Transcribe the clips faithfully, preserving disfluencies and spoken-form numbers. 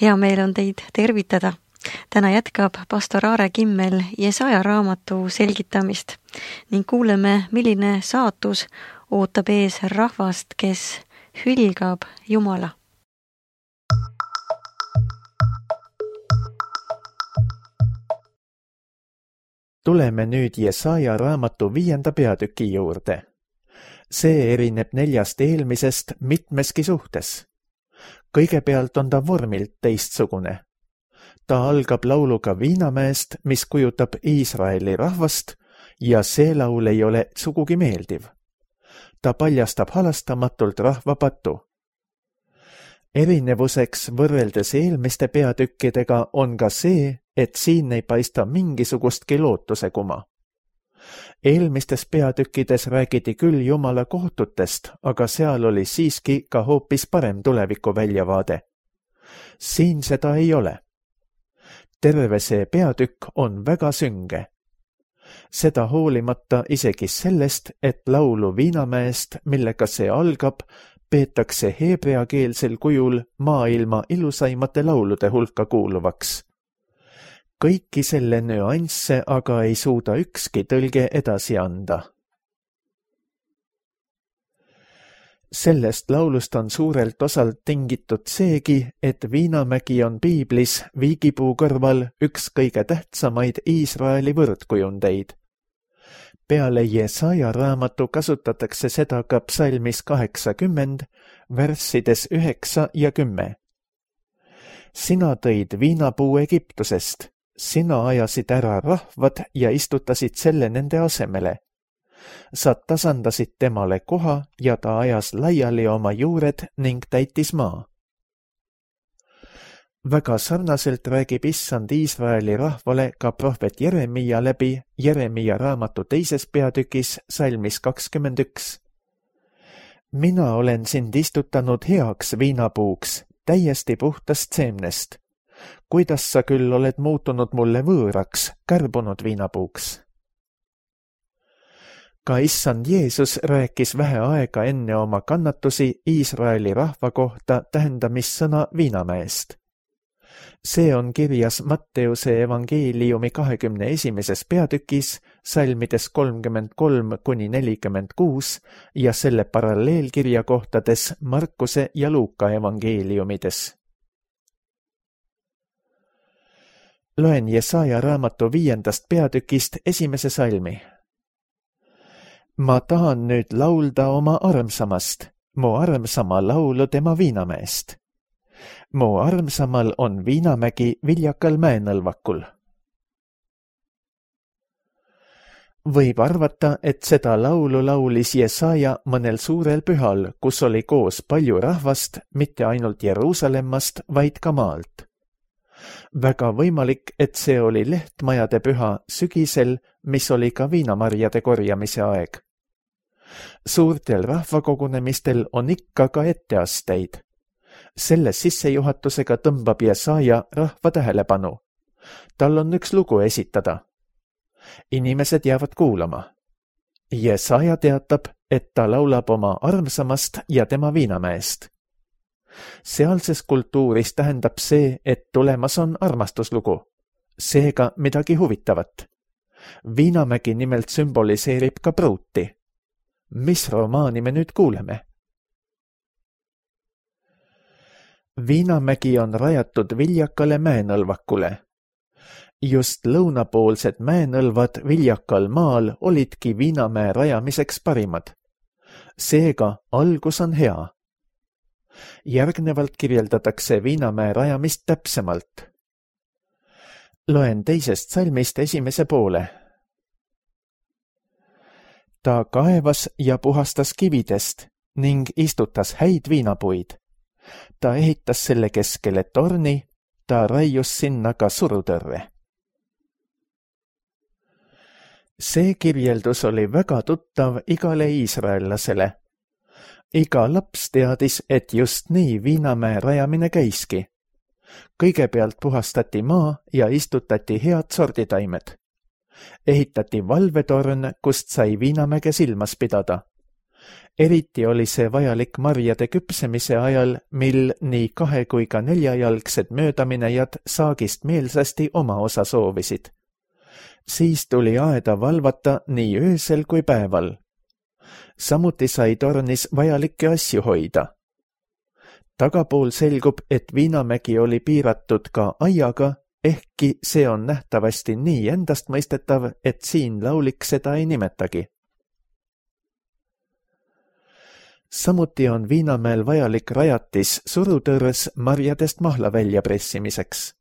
Hea meel on teid tervitada. Täna jätkab pastor Aare Kimmel Jesaja raamatu selgitamist ning kuuleme, milline saatus ootab ees rahvast, kes hülgab Jumala. Tuleme nüüd Jesaja raamatu viienda peatüki juurde. See erineb neljast eelmisest mitmeski suhtes. Kõigepealt on ta vormilt teistsugune. Ta algab lauluga Viinamäest, mis kujutab Iisraeli rahvast ja see laul ei ole sugugi meeldiv. Ta paljastab halastamatult rahva patu. Erinevuseks võrreldes eelmiste peatükkidega on ka see, et siin ei paista mingisugustki lootuse kuma. Eelmistes peatükkides räägiti küll Jumala kohtutest, aga seal oli siiski ka hoopis parem tuleviku väljavaade. Siin seda ei ole. Terve see peatükk on väga sünge. Seda hoolimata isegi sellest, et laulu Viinamäest, millega see algab, peetakse heebreakeelsel kujul maailma ilusaimate laulude hulka kuuluvaks. Kõiki selle nüansse aga ei suuda ükski tõlge edasi anda. Sellest laulust on suurelt osalt tingitud seegi, et Viinamägi on piiblis viigipuu kõrval üks kõige tähtsamaid Iisraeli võrdkujundeid. Peale Jesaja raamatu kasutatakse seda ka psalmis kaheksakümmend, värssides üheksa ja kümme. Sina tõid viinapuu Egiptusest. Sina ajasid ära rahvad ja istutasid selle nende asemele. Sa tasandasid temale koha ja ta ajas laiali oma juured ning täitis maa. Väga sarnaselt räägib Issand Iisraeli rahvale ka prohvet Jeremia läbi Jeremia raamatu teises peatükis salmis kakskümmend üks. Mina olen sind istutanud heaks viinapuuks, täiesti puhtast seemnest. Kuidas sa küll oled muutunud mulle võõraks, kärbunud viinapuuks? Ka Issand Jeesus rääkis vähe aega enne oma kannatusi Iisraeli rahva kohta tähendamissõna Viinamäest. See on kirjas Matteuse evangeeliumi kahekümne esimeses peatükis, salmides kolmkümmend kolm kuni nelikümmend kuus ja selle paralleelkirja kohtades Markuse ja Luuka evangeeliumides. Loen Jesaja raamatu viiendast peatükist esimese salmi. Ma tahan nüüd laulda oma armsamast, mu armsama laulu tema Viinamäest. Mu armsamal on Viinamägi viljakal mäenõlvakul. Võib arvata, et seda laulu laulis Jesaja mõnel suurel pühal, kus oli koos palju rahvast, mitte ainult Jeruusalemmast, vaid ka maalt. Väga võimalik, et see oli lehtmajade püha sügisel, mis oli ka viinamarjade korjamise aeg. Suurtel rahvakogunemistel on ikka ka etteasteid. Selle sissejuhatusega tõmbab Jesaja rahva tähelepanu. Tal on üks lugu esitada. Inimesed jäävad kuulama. Jesaja teatab, et ta laulab oma armsamast ja tema Viinamäest. Sealses kultuuris tähendab see, et tulemas on armastuslugu. Seega midagi huvitavat. Viinamägi nimelt sümboliseerib ka pruuti. Mis romaani me nüüd kuuleme? Viinamägi on rajatud viljakale mäenõlvakule. Just lõunapoolsed mäenõlvad viljakal maal olidki Viinamäe rajamiseks parimad. Seega algus on hea. Järgnevalt kirjeldatakse Viinamäe rajamist täpsemalt. Loen teisest salmist esimese poole. Ta kaevas ja puhastas kividest ning istutas häid viinapuid. Ta ehitas selle keskele torni, ta raius sinna ka surutõrre. See kirjeldus oli väga tuttav igale iisraellasele. Iga laps teadis, et just nii Viinamäe rajamine käiski. Kõigepealt puhastati maa ja istutati head sorditaimed. Ehitati valvetorn, kust sai Viinamäge silmas pidada. eriti oli see vajalik marjade küpsemise ajal, mil nii kahe kui ka neljajalgsed möödaminejad saagist meelsasti oma osa soovisid. Siis tuli aeda valvata nii öösel kui päeval. Samuti sai tornis vajalikke asju hoida. Tagapool selgub, et Viinamägi oli piiratud ka aiaga, ehkki see on nähtavasti nii endastmõistetav, et siin laulik seda ei nimetagi. Samuti on Viinamäel vajalik rajatis surutõrres marjadest mahla välja pressimiseks.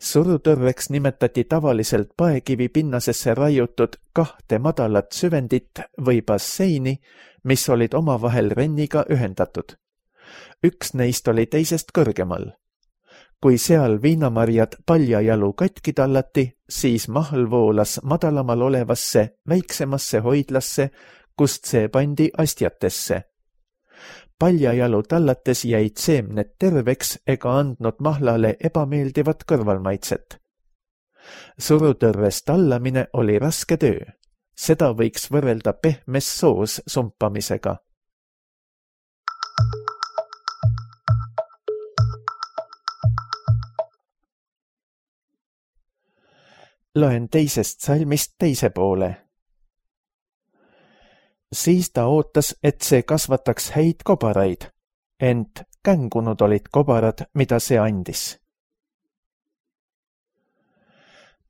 Surutõrreks nimetati tavaliselt paekivi pinnasesse raiutud kahte madalat süvendit või basseini, mis olid omavahel renniga ühendatud. Üks neist oli teisest kõrgemal. Kui seal viinamarjad paljajalu katki tallati, siis mahl voolas madalamal olevasse väiksemasse hoidlasse, kust see pandi astjatesse. Paljajalu tallates jäid seemned terveks ega andnud mahlale ebameeldivat kõrvalmaitset. Surutõrres tallamine oli raske töö. Seda võiks võrrelda pehmes soos sumpamisega. Loen teisest salmist teise poole. Siis ta ootas, et see kasvataks häid kobaraid, ent kängunud olid kobarad, mida see andis.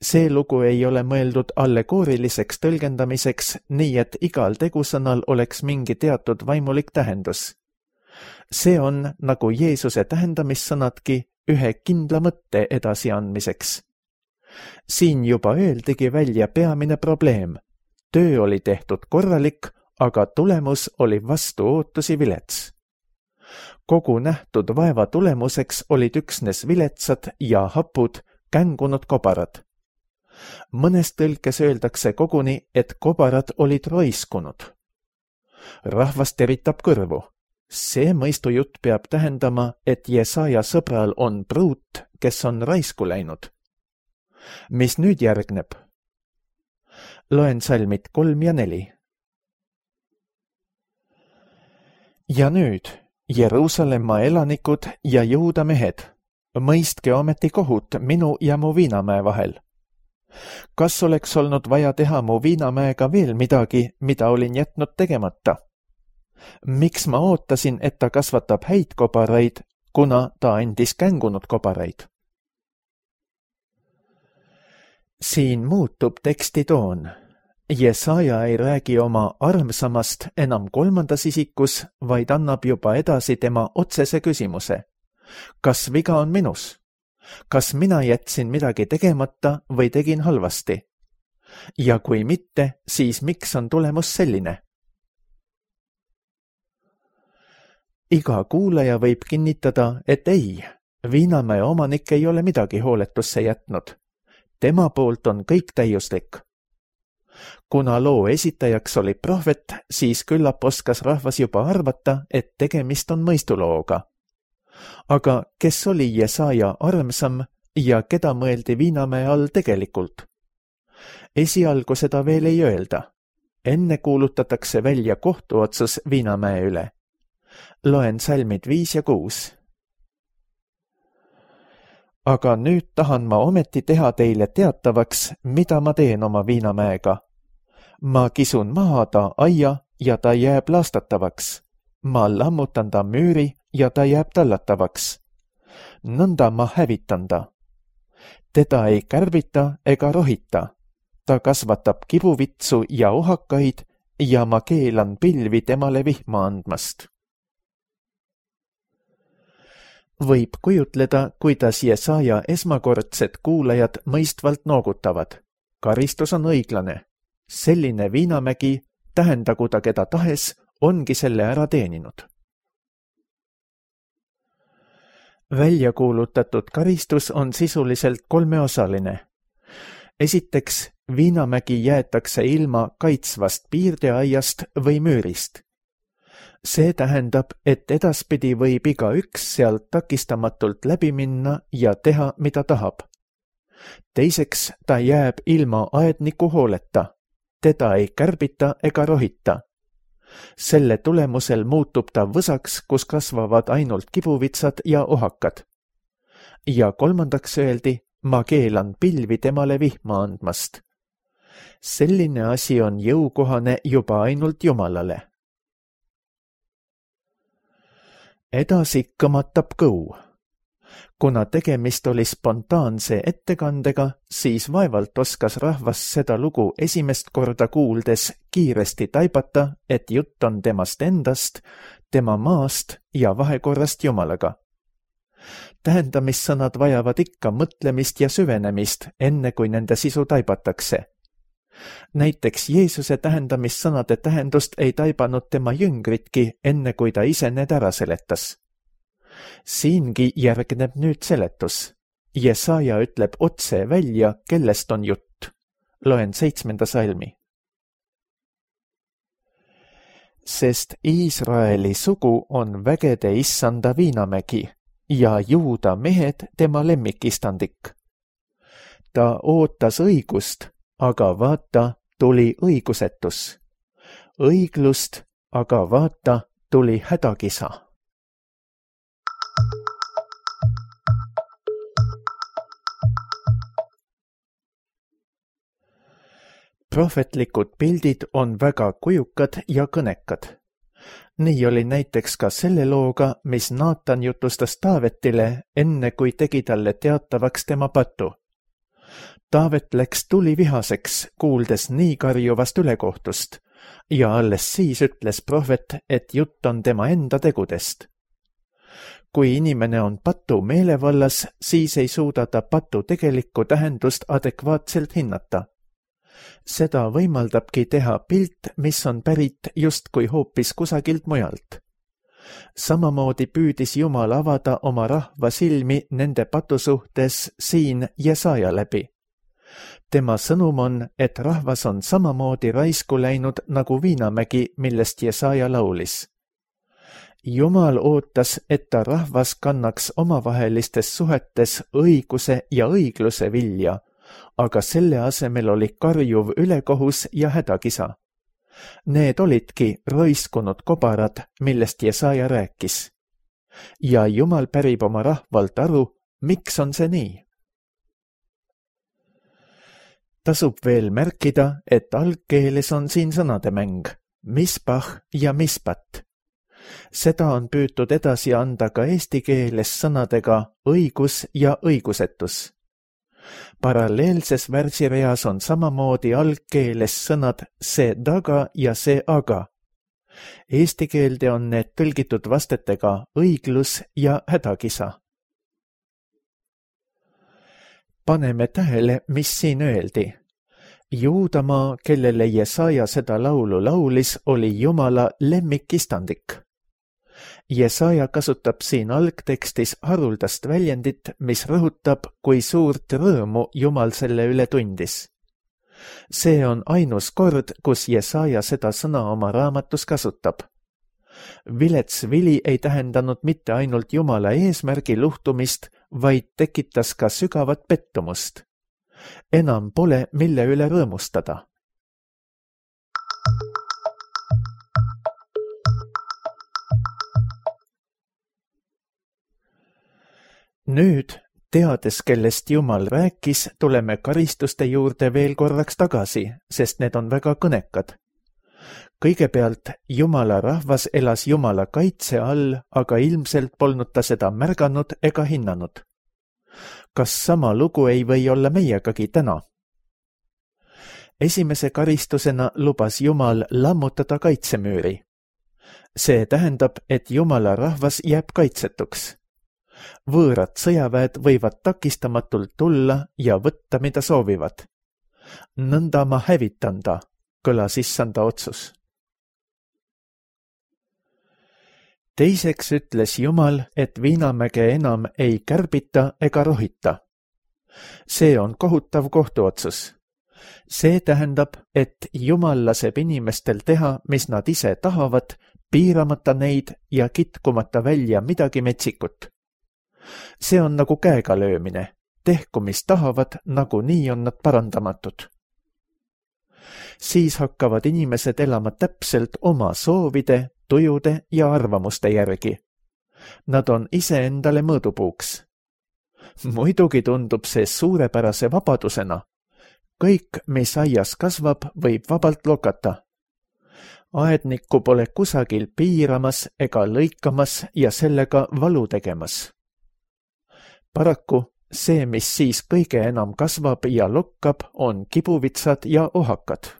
See lugu ei ole mõeldud allegooriliseks tõlgendamiseks, nii et igal tegusõnal oleks mingi teatud vaimulik tähendus. See on, nagu Jeesuse tähendamissõnadki, ühe kindla mõtte edasiandmiseks. Siin juba öeldigi välja peamine probleem. Töö oli tehtud korralik, aga tulemus oli vastu ootusi vilets. Kogu nähtud vaeva tulemuseks olid üksnes viletsad ja hapud kängunud kobarad. Mõnes tõlkes öeldakse koguni, et kobarad olid roiskunud. Rahvas teritab kõrvu. See mõistujutt peab tähendama, et Jesaja sõbral on pruut, kes on raisku läinud. Mis nüüd järgneb? Loen salmid kolm ja neli. Ja nüüd, Jeruusalemma elanikud ja Juuda mehed, mõistke ometi kohut minu ja mu Viinamäe vahel. Kas oleks olnud vaja teha mu Viinamäega veel midagi, mida olin jätnud tegemata? Miks ma ootasin, et ta kasvatab häid kobaraid, kuna ta andis kängunud kobaraid? Siin muutub teksti toon. Jesaja ei räägi oma armsamast enam kolmandas isikus, vaid annab juba edasi tema otsese küsimuse. Kas viga on minus? Kas mina jätsin midagi tegemata või tegin halvasti? Ja kui mitte, siis miks on tulemus selline? Iga kuulaja võib kinnitada, et ei, Viinamäe omanik ei ole midagi hooletusse jätnud. Tema poolt on kõik täiuslik. Kuna loo esitajaks oli prohvet, siis küllap oskas rahvas juba arvata, et tegemist on mõistulooga. Aga kes oli Jesaja armsam ja keda mõeldi Viinamäe all tegelikult? Esialgu seda veel ei öelda. Enne kuulutatakse välja kohtuotsus Viinamäe üle. Loen salmid viis ja kuus. Aga nüüd tahan ma ometi teha teile teatavaks, mida ma teen oma Viinamäega. Ma kisun maha ta aia ja ta jääb laastatavaks. Ma lammutan ta müüri ja ta jääb tallatavaks. Nõnda ma hävitan ta. Teda ei kärbita ega rohita. Ta kasvatab kibuvitsu ja ohakaid ja ma keelan pilvi temale vihma andmast. Võib kujutleda, kuidas Jesaja esmakordsed kuulajad mõistvalt noogutavad. Karistus on õiglane. Selline Viinamägi, tähendagu ta keda tahes, ongi selle ära teeninud. Välja kuulutatud karistus on sisuliselt kolmeosaline. Esiteks, Viinamägi jäetakse ilma kaitsvast piirdeaiast või müürist. See tähendab, et edaspidi võib iga üks sealt takistamatult läbi minna ja teha, mida tahab. Teiseks, ta jääb ilma aedniku hooleta. Teda ei kärbita ega rohita. Selle tulemusel muutub ta võsaks, kus kasvavad ainult kibuvitsad ja ohakad. Ja kolmandaks öeldi, ma keelan pilvi temale vihma andmast. Selline asi on jõukohane juba ainult Jumalale. Edasi kõmatab kõu. Kuna tegemist oli spontaanse ettekandega, siis vaevalt oskas rahvas seda lugu esimest korda kuuldes kiiresti taibata, et jutt on temast endast, tema maast ja vahekorrast Jumalaga. Tähendamissõnad vajavad ikka mõtlemist ja süvenemist, enne kui nende sisu taibatakse. Näiteks Jeesuse tähendamissõnade tähendust ei taibanud tema jüngritki, enne kui ta ise need ära seletas. Siingi järgneb nüüd seletus. Jesaja ütleb otse välja, kellest on jutt. Loen seitsmenda salmi. Sest Iisraeli sugu on vägede issanda viinamägi ja Juuda mehed tema lemmikistandik. Ta ootas õigust, aga vaata, tuli õigusetus. Õiglust, aga vaata, tuli hädakisa. Prohvetlikud pildid on väga kujukad ja kõnekad. Nii oli näiteks ka selle looga, mis Naatan jutustas Taavetile, enne kui tegi talle teatavaks tema patu. Taavet läks tuli vihaseks, kuuldes nii karjuvast ülekohtust, ja alles siis ütles prohvet, et jutt on tema enda tegudest. Kui inimene on patu meelevallas, siis ei suuda ta patu tegelikku tähendust adekvaatselt hinnata. Seda võimaldabki teha pilt, mis on pärit justkui hoopis kusagilt mujalt. Samamoodi püüdis Jumal avada oma rahva silmi nende patu suhtes siin Jesaja läbi. Tema sõnum on, et rahvas on samamoodi raisku läinud nagu viinamägi, millest Jesaja laulis. Jumal ootas, et ta rahvas kannaks omavahelistes suhetes õiguse ja õigluse vilja, aga selle asemel oli karjuv ülekohus ja hädakisa. Need olidki roiskunud kobarad, millest Jesaja rääkis. Ja Jumal pärib oma rahvalt aru, miks on see nii. Tasub veel märkida, et algkeeles on siin sõnade mäng, mispah ja mispat. Seda on püütud edasi anda ka eesti keeles sõnadega õigus ja õigusetus. Paralleelses värsireas on samamoodi algkeeles sõnad see daga ja see aga. Eesti keelde on need tõlgitud vastetega õiglus ja hädakisa. Paneme tähele, mis siin öeldi. Juudamaa, kellele Jesaja seda laulu laulis, oli Jumala lemmikistandik. Jesaja kasutab siin algtekstis haruldast väljendit, mis rõhutab, kui suurt rõõmu Jumal selle üle tundis. See on ainus kord, kus Jesaja seda sõna oma raamatus kasutab. Vilets vili ei tähendanud mitte ainult Jumala eesmärgi luhtumist, vaid tekitas ka sügavat pettumust. Enam pole, mille üle rõõmustada. Nüüd, teades, kellest Jumal rääkis, tuleme karistuste juurde veel korraks tagasi, sest need on väga kõnekad. Kõigepealt, Jumala rahvas elas Jumala kaitse all, aga ilmselt polnud ta seda märganud ega hinnanud. Kas sama lugu ei või olla meiegagi täna? Esimese karistusena lubas Jumal lammutada kaitsemüüri. See tähendab, et Jumala rahvas jääb kaitsetuks. Võõrad sõjaväed võivad takistamatult tulla ja võtta, mida soovivad. Nõnda ma hävitan ta, kõlas issanda otsus. Teiseks ütles Jumal, et viinamäge enam ei kärbita ega rohita. See on kohutav kohtuotsus. See tähendab, et Jumal laseb inimestel teha, mis nad ise tahavad, piiramata neid ja kitkumata välja midagi metsikut. See on nagu käega löömine. Tehku, mis tahavad, nagu nii on nad parandamatud. siis hakkavad inimesed elama täpselt oma soovide, tujude ja arvamuste järgi. Nad on iseendale mõõdupuuks. Muidugi tundub see suurepärase vabadusena. Kõik, mis aias kasvab, võib vabalt lokata. Aednikku pole kusagil piiramas ega lõikamas ja sellega valu tegemas. Paraku see, mis siis kõige enam kasvab ja lokkab, on kibuvitsad ja ohakad.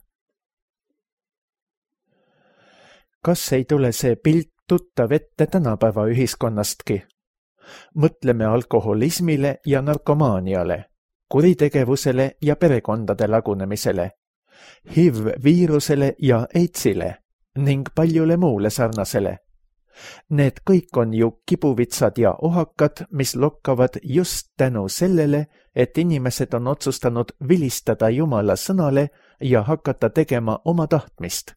Kas ei tule see pilt tuttav ette tänapäeva ühiskonnastki? Mõtleme alkoholismile ja narkomaaniale, kuritegevusele ja perekondade lagunemisele, H I V-viirusele ja AIDSile ning paljule muule sarnasele. Need kõik on ju kibuvitsad ja ohakad, mis lokkavad just tänu sellele, et inimesed on otsustanud vilistada Jumala sõnale ja hakata tegema oma tahtmist.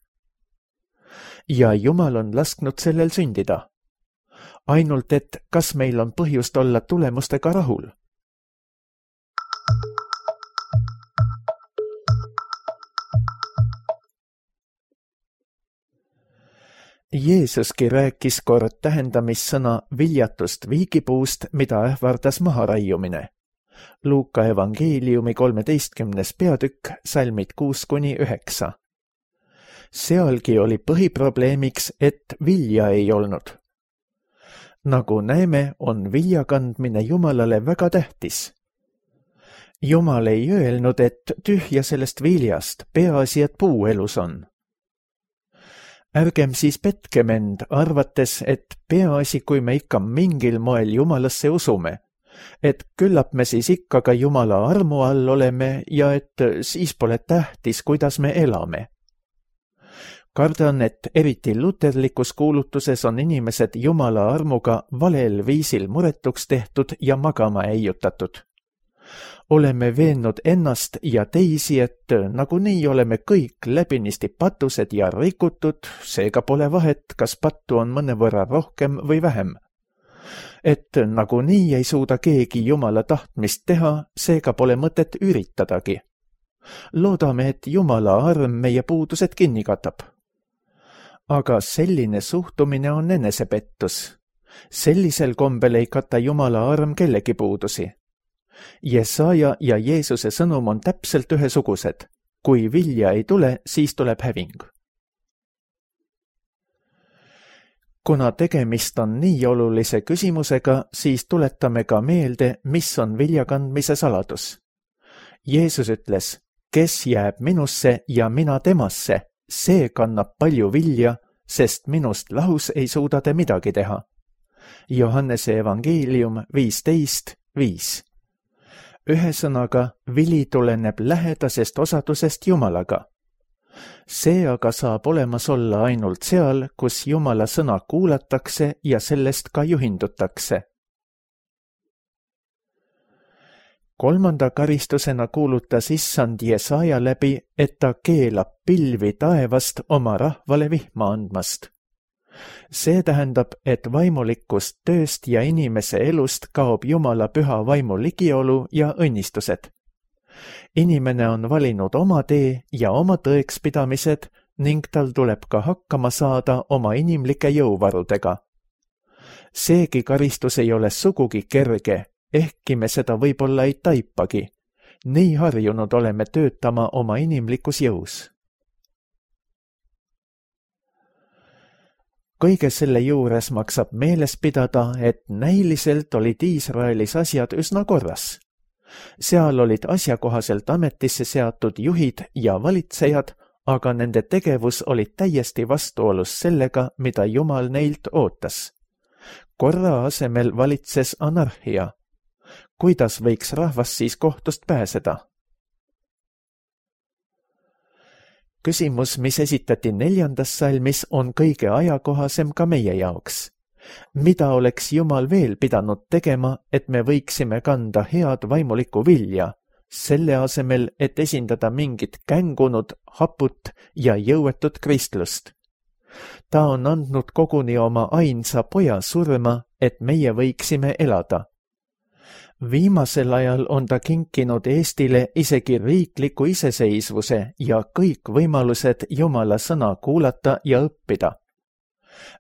Ja Jumal on lasknud sellel sündida. Ainult et kas meil on põhjust olla tulemustega rahul? Jeesuski rääkis kord tähendamissõna viljatust viigipuust, mida ähvardas maharaiumine. Luuka evangeeliumi kolmeteistkümnes peatükk, salmid kuus kuni üheksa. Sealgi oli põhiprobleemiks, et vilja ei olnud. Nagu näeme, on vilja kandmine Jumalale väga tähtis. Jumal ei öelnud, et tühja sellest viljast, peaasi, et puu elus on. Ärgem siis petkem end, arvates, et peaasi, kui me ikka mingil moel Jumalasse usume, et küllap me siis ikka ka Jumala armu all oleme ja et siis pole tähtis, kuidas me elame. Kardan, et eriti luterlikus kuulutuses on inimesed Jumala armuga valel viisil muretuks tehtud ja magama eiutatud. Oleme veennud ennast ja teisi, et nagunii oleme kõik läbinisti patused ja rikutud, seega pole vahet, kas pattu on mõnevõrra rohkem või vähem. Et nagunii ei suuda keegi Jumala tahtmist teha, seega pole mõtet üritadagi. Loodame, et Jumala arm meie puudused kinni katab. Aga selline suhtumine on enesepettus. Sellisel kombel ei kata Jumala arm kellegi puudusi. Jesaja ja Jeesuse sõnum on täpselt ühesugused. Kui vilja ei tule, siis tuleb häving. Kuna tegemist on nii olulise küsimusega, siis tuletame ka meelde, mis on viljakandmise saladus. Jeesus ütles, kes jääb minusse ja mina temasse, see kannab palju vilja, sest minust lahus ei suuda te midagi teha. Johannese evangeelium viisteist viis. Ühesõnaga, vili tuleneb lähedasest osadusest Jumalaga. See aga saab olemas olla ainult seal, kus Jumala sõna kuulatakse ja sellest ka juhindutakse. Kolmanda karistusena kuulutas issand Jesaja läbi, et ta keelab pilvi taevast oma rahvale vihma andmast. See tähendab, et vaimulikust tööst ja inimese elust kaob Jumala püha vaimu ligiolu ja õnnistused. Inimene on valinud oma tee ja oma tõekspidamised ning tal tuleb ka hakkama saada oma inimlike jõuvarudega. Seegi karistus ei ole sugugi kerge, ehkki me seda võib-olla ei taipagi. Nii harjunud oleme töötama oma inimlikus jõus. Kõige selle juures maksab meeles pidada, et näiliselt olid Iisraelis asjad üsna korras. Seal olid asjakohaselt ametisse seatud juhid ja valitsejad, aga nende tegevus oli täiesti vastuolus sellega, mida Jumal neilt ootas. Korra asemel valitses anarhia. Kuidas võiks rahvas siis kohtust pääseda? Küsimus, mis esitati neljandas salmis, on kõige ajakohasem ka meie jaoks. Mida oleks Jumal veel pidanud tegema, et me võiksime kanda head vaimulikku vilja, selle asemel, et esindada mingit kängunud, haput ja jõuetut kristlust? Ta on andnud koguni oma ainsa poja surma, et meie võiksime elada. Viimasel ajal on ta kinkinud Eestile isegi riikliku iseseisvuse ja kõik võimalused Jumala sõna kuulata ja õppida.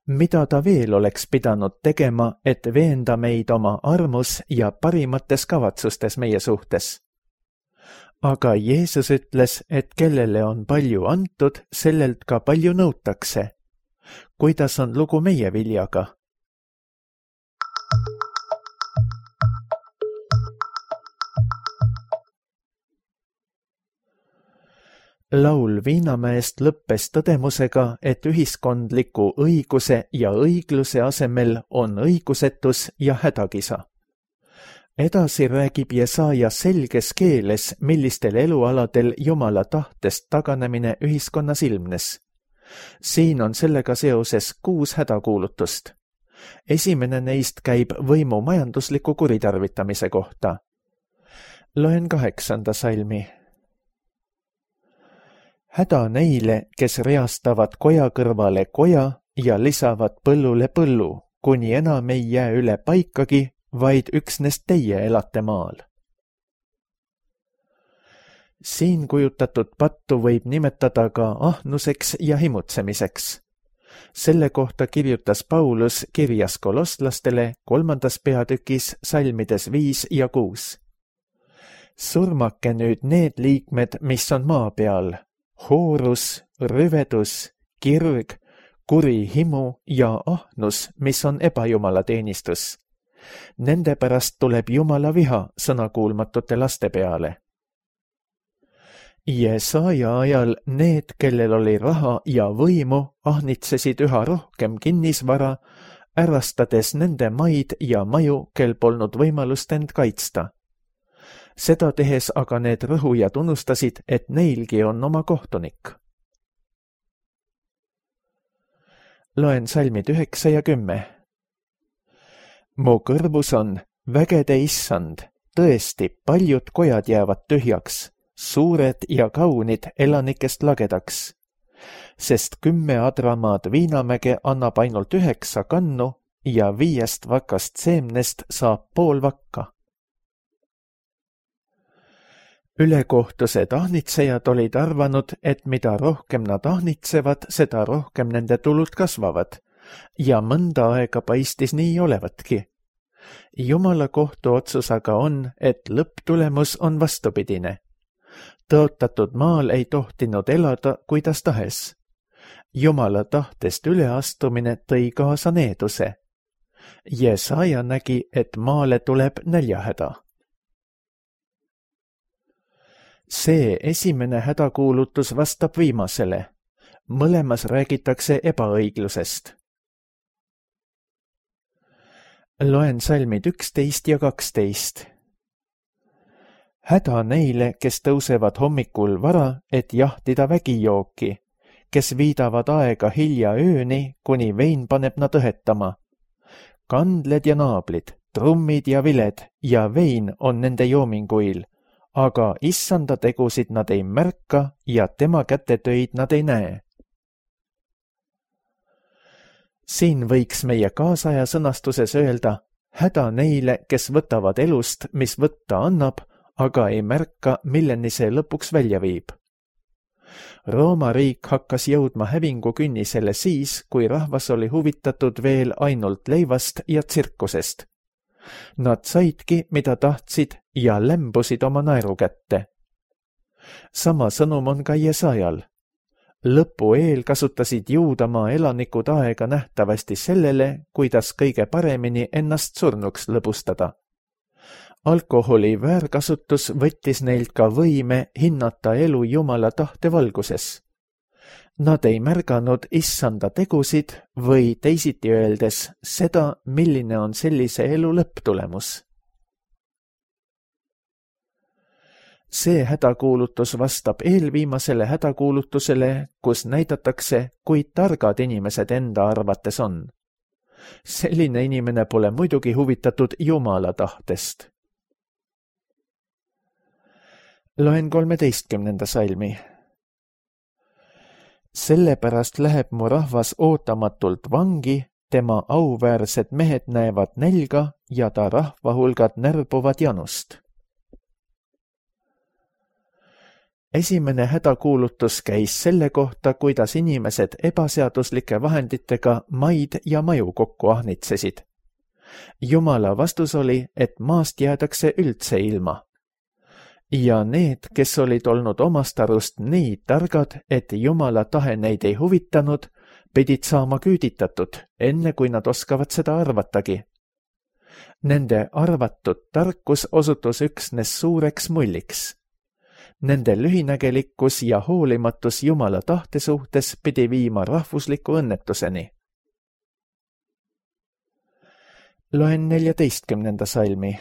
Mida ta veel oleks pidanud tegema, et veenda meid oma armus ja parimates kavatsustes meie suhtes? Aga Jeesus ütles, et kellele on palju antud, sellelt ka palju nõutakse. Kuidas on lugu meie viljaga? Laul Viinamäest lõppes tõdemusega, et ühiskondliku õiguse ja õigluse asemel on õigusetus ja hädakisa. Edasi räägib Jesaja selges keeles, millistel elualadel Jumala tahtest taganemine ühiskonnas ilmnes. Siin on sellega seoses kuus hädakuulutust. Esimene neist käib võimu majandusliku kuritarvitamise kohta. Loen kaheksanda salmi. Häda neile, kes reastavad koja kõrvale koja ja lisavad põllule põllu, kuni enam ei jää üle paikagi, vaid üksnes teie elate maal. Siin kujutatud pattu võib nimetada ka ahnuseks ja himutsemiseks. Selle kohta kirjutas Paulus kirjas kolosslastele kolmandas peatükis salmides viis ja kuus. Surmake nüüd need liikmed, mis on maa peal, hoorus, rüvedus, kirg, kuri himu ja ahnus, mis on ebajumala teenistus. Nende pärast tuleb Jumala viha sõnakuulmatute laste peale. Jesaja ajal need, kellel oli raha ja võimu, ahnitsesid üha rohkem kinnisvara, ärastades nende maid ja maju, kel polnud võimalust end kaitsta. Seda tehes aga need rõhujad unustasid, et neilgi on oma kohtunik. Loen salmid üheksa ja kümme. Mu kõrvus on vägede issand, tõesti paljud kojad jäävad tühjaks, suured ja kaunid elanikest lagedaks, sest kümme adramaad Viinamäge annab ainult üheksa kannu ja viiest vakast seemnest saab pool vakka. Ülekohtused ahnitsejad olid arvanud, et mida rohkem nad ahnitsevad, seda rohkem nende tulud kasvavad ja mõnda aega paistis nii olevatki. Jumala kohtuotsus aga on, et lõpptulemus on vastupidine. Tõotatud maal ei tohtinud elada, kuidas tahes. Jumala tahtest üleastumine tõi kaasa needuse. Jesaja nägi, et maale tuleb näljahäda. See esimene hädakuulutus vastab viimasele. Mõlemas räägitakse ebaõiglusest. Loen salmid üksteist ja kaksteist. Häda neile, kes tõusevad hommikul vara, et jahtida vägijooki, kes viidavad aega hilja ööni, kuni vein paneb nad õhetama. Kandled ja naablid, trummid ja viled ja vein on nende joominguil, aga issanda tegusid nad ei märka ja tema kätetöid nad ei näe. Siin võiks meie kaasaja sõnastuses öelda, häda neile, kes võtavad elust, mis võtta annab, aga ei märka, milleni see lõpuks välja viib. Rooma riik hakkas jõudma hävingu künnisele siis, kui rahvas oli huvitatud veel ainult leivast ja tsirkusest. Nad saidki, mida tahtsid ja lämbusid oma naeru kätte. Sama sõnum on ka Jesajal. Lõpu eel kasutasid Juudamaa elanikud aega nähtavasti sellele, kuidas kõige paremini ennast surnuks lõbustada. Alkoholi väärkasutus võttis neilt ka võime hinnata elu Jumala tahte valguses. Nad ei märganud issanda tegusid või teisiti öeldes seda, milline on sellise elu lõpptulemus. See hädakuulutus vastab eelviimasele hädakuulutusele, kus näidatakse, kui targad inimesed enda arvates on. Selline inimene pole muidugi huvitatud Jumala tahtest. Loen kolmeteistkümnenda salmi. Sellepärast läheb mu rahvas ootamatult vangi, tema auväärsed mehed näevad nälga ja ta rahvahulgad närbuvad janust. Esimene hädakuulutus käis selle kohta, kuidas inimesed ebaseaduslike vahenditega maid ja maju kokku ahnitsesid. Jumala vastus oli, et maast jäädakse üldse ilma. Ja need, kes olid olnud omast arust nii targad, et Jumala tahe neid ei huvitanud, pidid saama küüditatud, enne kui nad oskavad seda arvatagi. Nende arvatud tarkus osutus üksnes suureks mulliks. Nende lühinägelikkus ja hoolimatus Jumala tahte suhtes pidi viima rahvusliku õnnetuseni. Loen neljateistkümnenda salmi.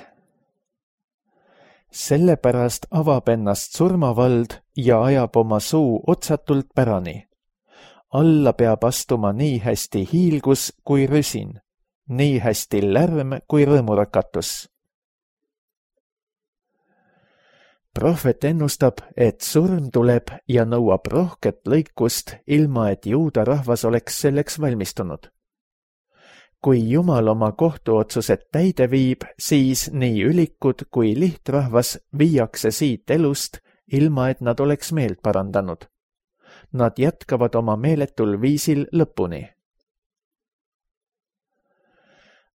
Sellepärast avab ennast surmavald ja ajab oma suu otsatult pärani. Alla peab astuma nii hästi hiilgus kui rüsin, nii hästi lärm kui rõõmurakatus. Prohvet ennustab, et surm tuleb ja nõuab rohket lõikust, ilma et juuda rahvas oleks selleks valmistunud. Kui Jumal oma kohtuotsused täide viib, siis nii ülikud kui lihtrahvas viiakse siit elust, ilma et nad oleks meelt parandanud. Nad jätkavad oma meeletul viisil lõpuni.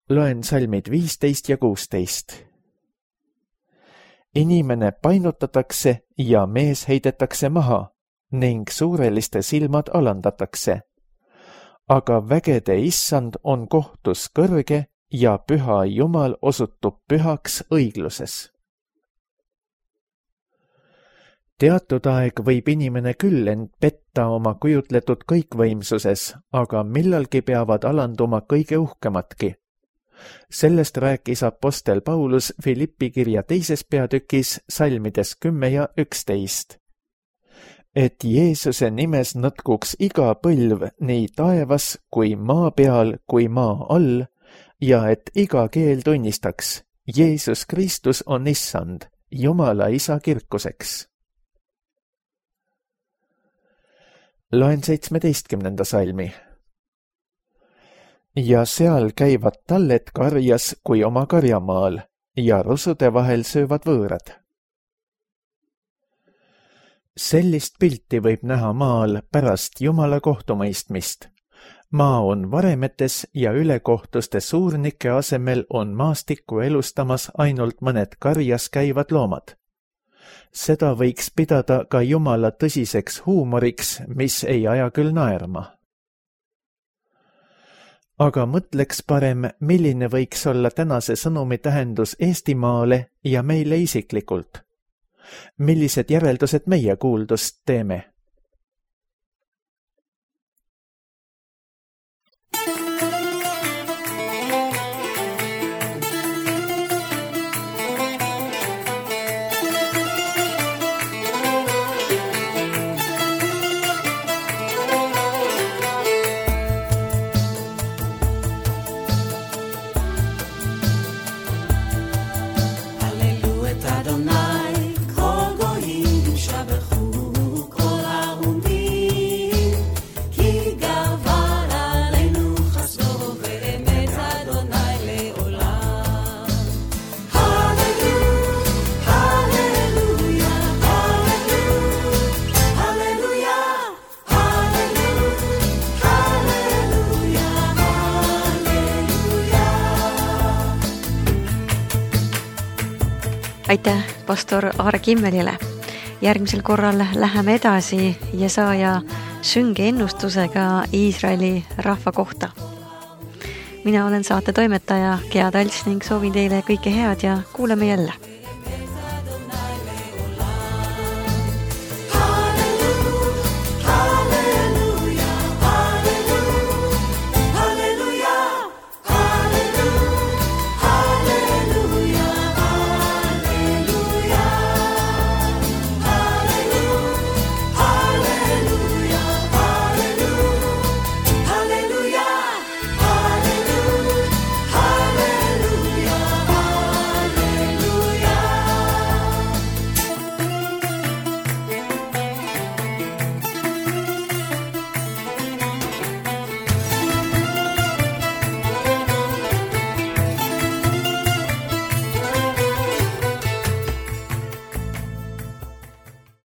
Loen salmid viisteist ja kuusteist. Inimene painutatakse ja mees heidetakse maha ning suureliste silmad alandatakse. Aga vägede issand on kohtus kõrge ja püha Jumal osutub pühaks õigluses. Teatud aeg võib inimene küll end petta oma kujutletud kõikvõimsuses, aga millalgi peavad alanduma kõige uhkematki. Sellest rääkis apostel Paulus Filippi kirja teises peatükis salmides kümme ja üksteist. Et Jeesuse nimes nõtkuks iga põlv nii taevas kui maa peal kui maa all ja et iga keel tunnistaks, Jeesus Kristus on issand, Jumala isa kirkuseks. Loen seitsmeteistkümnenda salmi. Ja seal käivad talled karjas kui oma karjamaal ja rusude vahel söövad võõrad. Sellist pilti võib näha maal pärast Jumala kohtumõistmist. Maa on varemetes ja ülekohtuste suurnike asemel on maastikku elustamas ainult mõned karjas käivad loomad. Seda võiks pidada ka Jumala tõsiseks huumoriks, mis ei aja küll naerma. Aga mõtleks parem, milline võiks olla tänase sõnumi tähendus Eestimaale ja meile isiklikult. Millised järeldused meie kuuldust teeme? Aitäh pastor Aare Kimmelile. Järgmisel korral läheme edasi Jesaja sünge ennustusega Iisraeli rahva kohta. Mina olen saate toimetaja Gea Talts ning soovin teile kõike head ja kuuleme jälle.